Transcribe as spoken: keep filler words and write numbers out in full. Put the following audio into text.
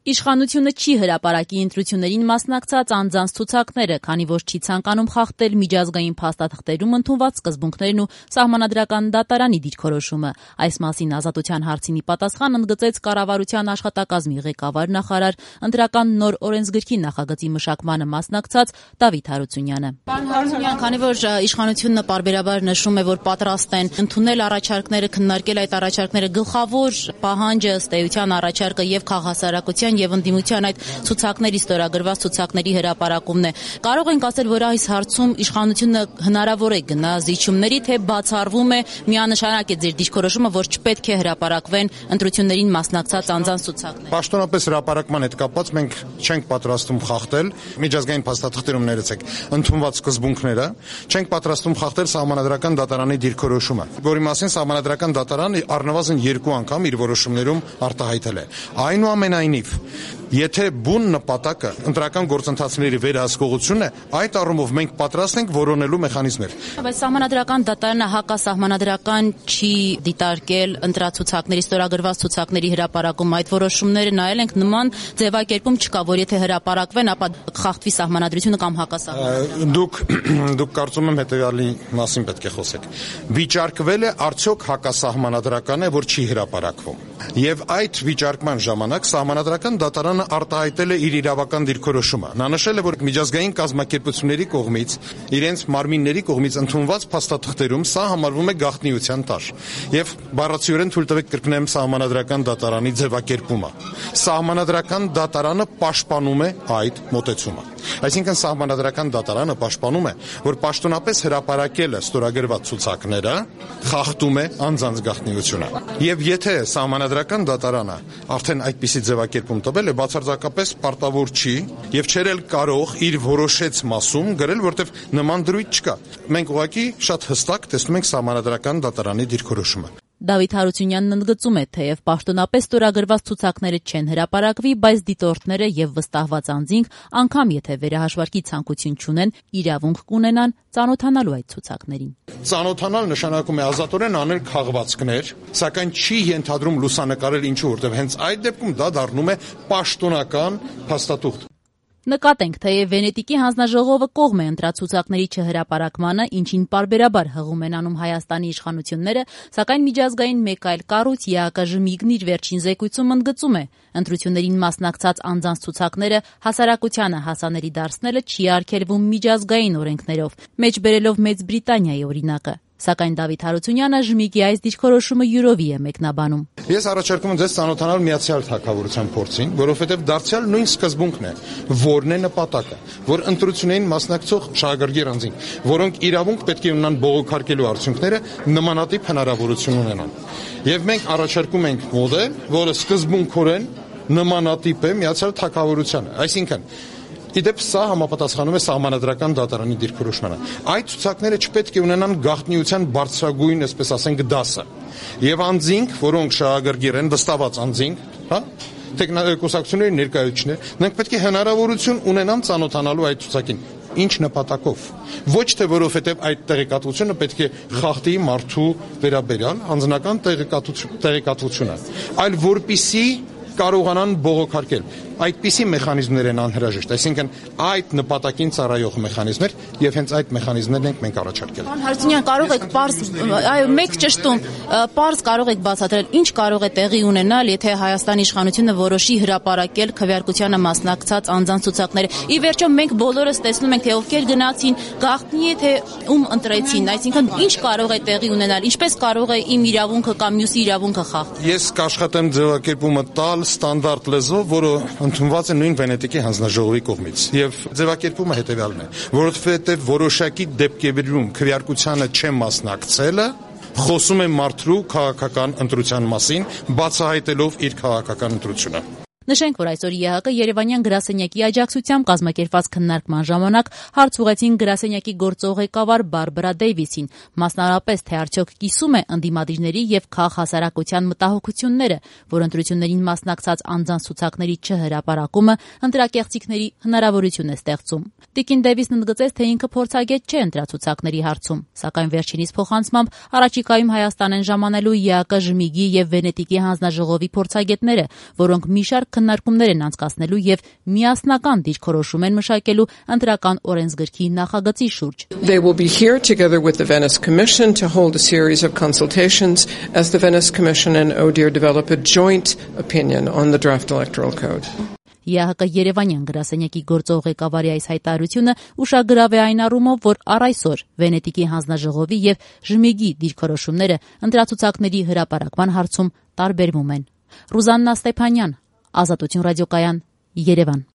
Իշխանությունը չի հրապարակի ընտրություններին մասնակցած անձանց ցուցակները, քանի որ չի ցանկանում խախտել միջազգային փաստաթղթերում ընդունված սկզբունքներն ու Սահմանադրական դատարանի դիրքորոշումը։ Այս մասին Ազատության հարցինի պատասխան ընդգծեց կառավարության աշխատակազմի ղեկավար նախարար, ընտրական նոր օրենսգրքի նախագծի մշակմանը մասնակցած Դավիթ Հարությունյանը։ Պարոն Հարությունյան, քանի որ իշխանությունը պարբերաբար նշում է, որ պատրաստ են ընդունել առաջարկները, քննարկել այդ առաջարկները, գլխավոր պահանջը ըստ էության առաջարկը եւ քաղաքասարակության եւ ընդդիմության այդ ցուցակների ստորագրված ցուցակների հրապարակումն է։ Կարող ենք ասել, որ այս հարցում իշխանությունը հնարավոր է գնա զիջումների, թե բացառվում է միանշանակ է ձեր դիրքորոշումը, որ չպետք է հրապարակվեն ընտրություններին մասնակցած անձանց ցուցակները։ Պաշտոնապես հրապարակման հետ կապված մենք չենք պատրաստում խախտել միջազգային փաստաթղթերում ներեցեք ընդունված սկզբունքները, չենք պատրաստում խախտել Սահմանադրական դատարանի դիրքորոշումը, որի մասին Սահմանադրական դատարանը առնվազն երկու անգամ իր որոշումներում արտահայտել է։ Այնուամենայնիվ, եթե բուն նպատակը ընտրական գործընթացների վերահսկողությունն է, այդ առումով մենք պատրաստ ենք որոնելու մեխանիզմներ։ Բայց Սահմանադրական դատարանը հակասահմանադրական չի դիտարկել ընտրացուցակների ստորագրված ցուցակների հրապարակում, այդ որոշումները նայել ենք, նման ձևակերպում չկա, որ եթե հրապարակվեն, ապա խախտվի սահմանադրությունը կամ հակասահմանադրությունը։ Դուք դուք կարծում եմ հետեւյալի մասին պետք է խոսեք։ Վիճարկվել է արդյոք հակասահմանադրական է, որ չի հրապարակվում։ Եվ այդ վիճարկման ժամանակ Սահմանադրական դատարանը արտահայտել է իր իրավական դիրքորոշումը։ Նա նշել է, որ միջազգային կազմակերպությունների կողմից, իրենց մարմինների կողմից ընդունված փաստաթղթերում սա համարվում է գաղտնիության տար։ Եվ բառացիորեն թույլ տվեք կրկնեմ Սահմանադրական դատարանի ձևակերպումը։ Սահմանադրական դատարանը պաշտպանում է այդ մոտեցումը։ Այսինքն Սահմանադրական դատարանը պաշտպանում է, որ պաշտոնապես հրապարակելը ստորագրված ցուցակները խախտում է անձանց գաղտնիությունը։ Եվ եթե Սահմանադրական դատարանը արդեն այդպիսի ձևակերպում տվել է, բացարձակապես պարտավոր չի եւ չէր էլ կարող իր որոշեց մասում գրել, որտեղ նման դրույթ չկա։ Մենք ուղղակի շատ հստակ տեսնում ենք Սահմանադրական դատարանի դիրքորոշումը։ Դավիթ Հարությունյանն ընդգծում է, թեև պաշտոնապես ստորագրված ցուցակները չեն հրապարակվի, բայց դիտորդները եւ վստահված անձինք, անգամ եթե վերահաշվարկի ցանկություն չունեն, իրավունք կունենան ծանոթանալու այդ ցուցակներին։ Ծանոթանալ նշանակում է ազատորեն անել քաղվածքներ, սակայն չի ենթադրում լուսանկարել ինչու, որտեղ հենց այդ դեպքում դա դառնում է պաշտոնական փաստաթուղթ։ Նկատենք, թեև Վենետիկի հանձնաժողովը կողմ է ընտրացուցակների չհրապարակմանը, ինչին պարբերաբար հղում են անում Հայաստանի իշխանությունները, սակայն միջազգային մեկ այլ կառույց ԵԱԿ-ԺՄԻԳ-ն իր վերջին զեկույցում ընդգծում է, ընտրություններին մասնակցած անձանց ցուցակները հասարակությանը հասանելի դարձնելը չի արգելվում միջազգային օրենքներով, մեջբերելով Մեծ Բրիտանիայի օրինակը։ Սակայն Դավիթ Հարությունյանը ԺՄԻԳ-ի այս դիրքորոշումը յուրովի է մեկնաբանում։ Ես առաջարկում եմ ձեզ ծանոթանալ Միացյալ Թագավորության փորձին, որովհետև դարձյալ նույն սկզբունքն է, որն է նպատակը, որ ընտրություններին մասնակցող շահագրգիռ անձինք, որոնք իրավունք պետք է ունենան բողոքարկելու արդյունքները, նմանատիպ հնարավորություն ունենան։ Եվ մենք առաջարկում ենք մոդել, որը սկզբունքորեն նմանատիպ է Միացյալ Թագավորությանը, այսինքն Իդեպ սա համապատասխանում է Սահմանադրական դատարանի դիրքորոշմանը։ Այդ ցուցակները չպետք է ունենան գաղտնիության բարձրագույն, այսպես ասենք, դասը։ Եվ անձինք, որոնք շահագրգիռ են, վստահված անձինք, հա, տեխնիկոսակցությունների ներկայացուցիչներ, նրանք պետք է հնարավորություն ունենան ծանոթանալու այդ ցուցակին։ Ինչ նպատակով։ Ոչ թե որովհետև այդ տեղեկատվությունը պետք է խախտի մարդու վերաբերյալ անձնական տեղեկատվությունը, այլ որպիսի կարողանան բողոքարկել։ Այդպիսի մեխանիզմներ են անհրաժեշտ, այսինքն այդ նպատակին ծառայող մեխանիզմներ եւ հենց այդ մեխանիզմներն ենք մենք առաջարկել։ Պարոն Հարությունյան, կարող եք պարզ, այո, մեկ ճշտում, պարզ կարող եք բացատրել, ինչ կարող է տեղի ունենալ, եթե Հայաստանի իշխանությունը որոշի հրապարակել քվեարկությանը մասնակցած անձանց ցուցակները։ Ի վերջո մենք բոլորս տեսնում ենք, թե ովքեր գնացին, գաղտնի է թե ում ընտրեցին, այսինքն ինչ կարող է տեղի ունենալ, ինչպես կարող է իմ իրավունքը կամ մյուսի իրավունքը խախտել։ Ես կաշխատեմ ձևակերպումը տալ ստանդարտ լեզվով, որը ընդունված է նույն Վենետիկի հանձնաժողովի կողմից եւ ձևակերպումը հետեւյալն է, որովհետեւ որոշակի դեպքերում քվեարկությանը չեմ մասնակցելը խոսում է մարդու քաղաքական ընտրության մասին, բացահայտելով իր քաղաքական ընտրությունը։ Նշենք, որ այսօր ԵԱՀԿ Երևանյան գրասենյակի աջակցությամբ կազմակերպված քննարկման ժամանակ հարց ուղղեցին գրասենյակի գործող ղեկավար Բարբարա Դեյվիսին, մասնավորապես թե արդյոք կիսում է ընդդիմադիրների եւ քաղաքասարակության մտահոգությունները, որ ընտրություններին մասնակցած անձանց ցուցակների չհրապարակումը ընտրակեղծիքների հնարավորություն է ստեղծում։ Տիկին Դեյվիսն ընդգծեց, թե ինքը փորձագետ չէ ընտրացուցակների հարցում, սակայն վերջինիս փոխանցմամբ առաջիկայում Հայաստան են ժամանելու ԵԱՀԿ ԺՄԻԳ-ի եւ Վենետիկի հանձնաժողովի փորձագետները, որոնք մի շարք քննարկումներ են անցկացնելու եւ միասնական դիրքորոշում են մշակելու ընտրական օրենսգրքի նախագծի շուրջ։ They will be here together with the Venice Commission to hold a series of consultations as the Venice Commission and O D I H R develop a joint opinion on the draft electoral code. ԵԱՀԿ Երևանյան գրասենյակի գործող ղեկավարի այս հայտարարությունը ուշագրավ է այն առումով, որ առ այսօր Վենետիկի հանձնաժողովի եւ Ժմիգի դիրքորոշումները ընտրացուցակների հրապարակման հարցում տարբերվում են։ Ռուզաննա Ստեփանյան, Ազատություն ռադիոկայան, Երևան։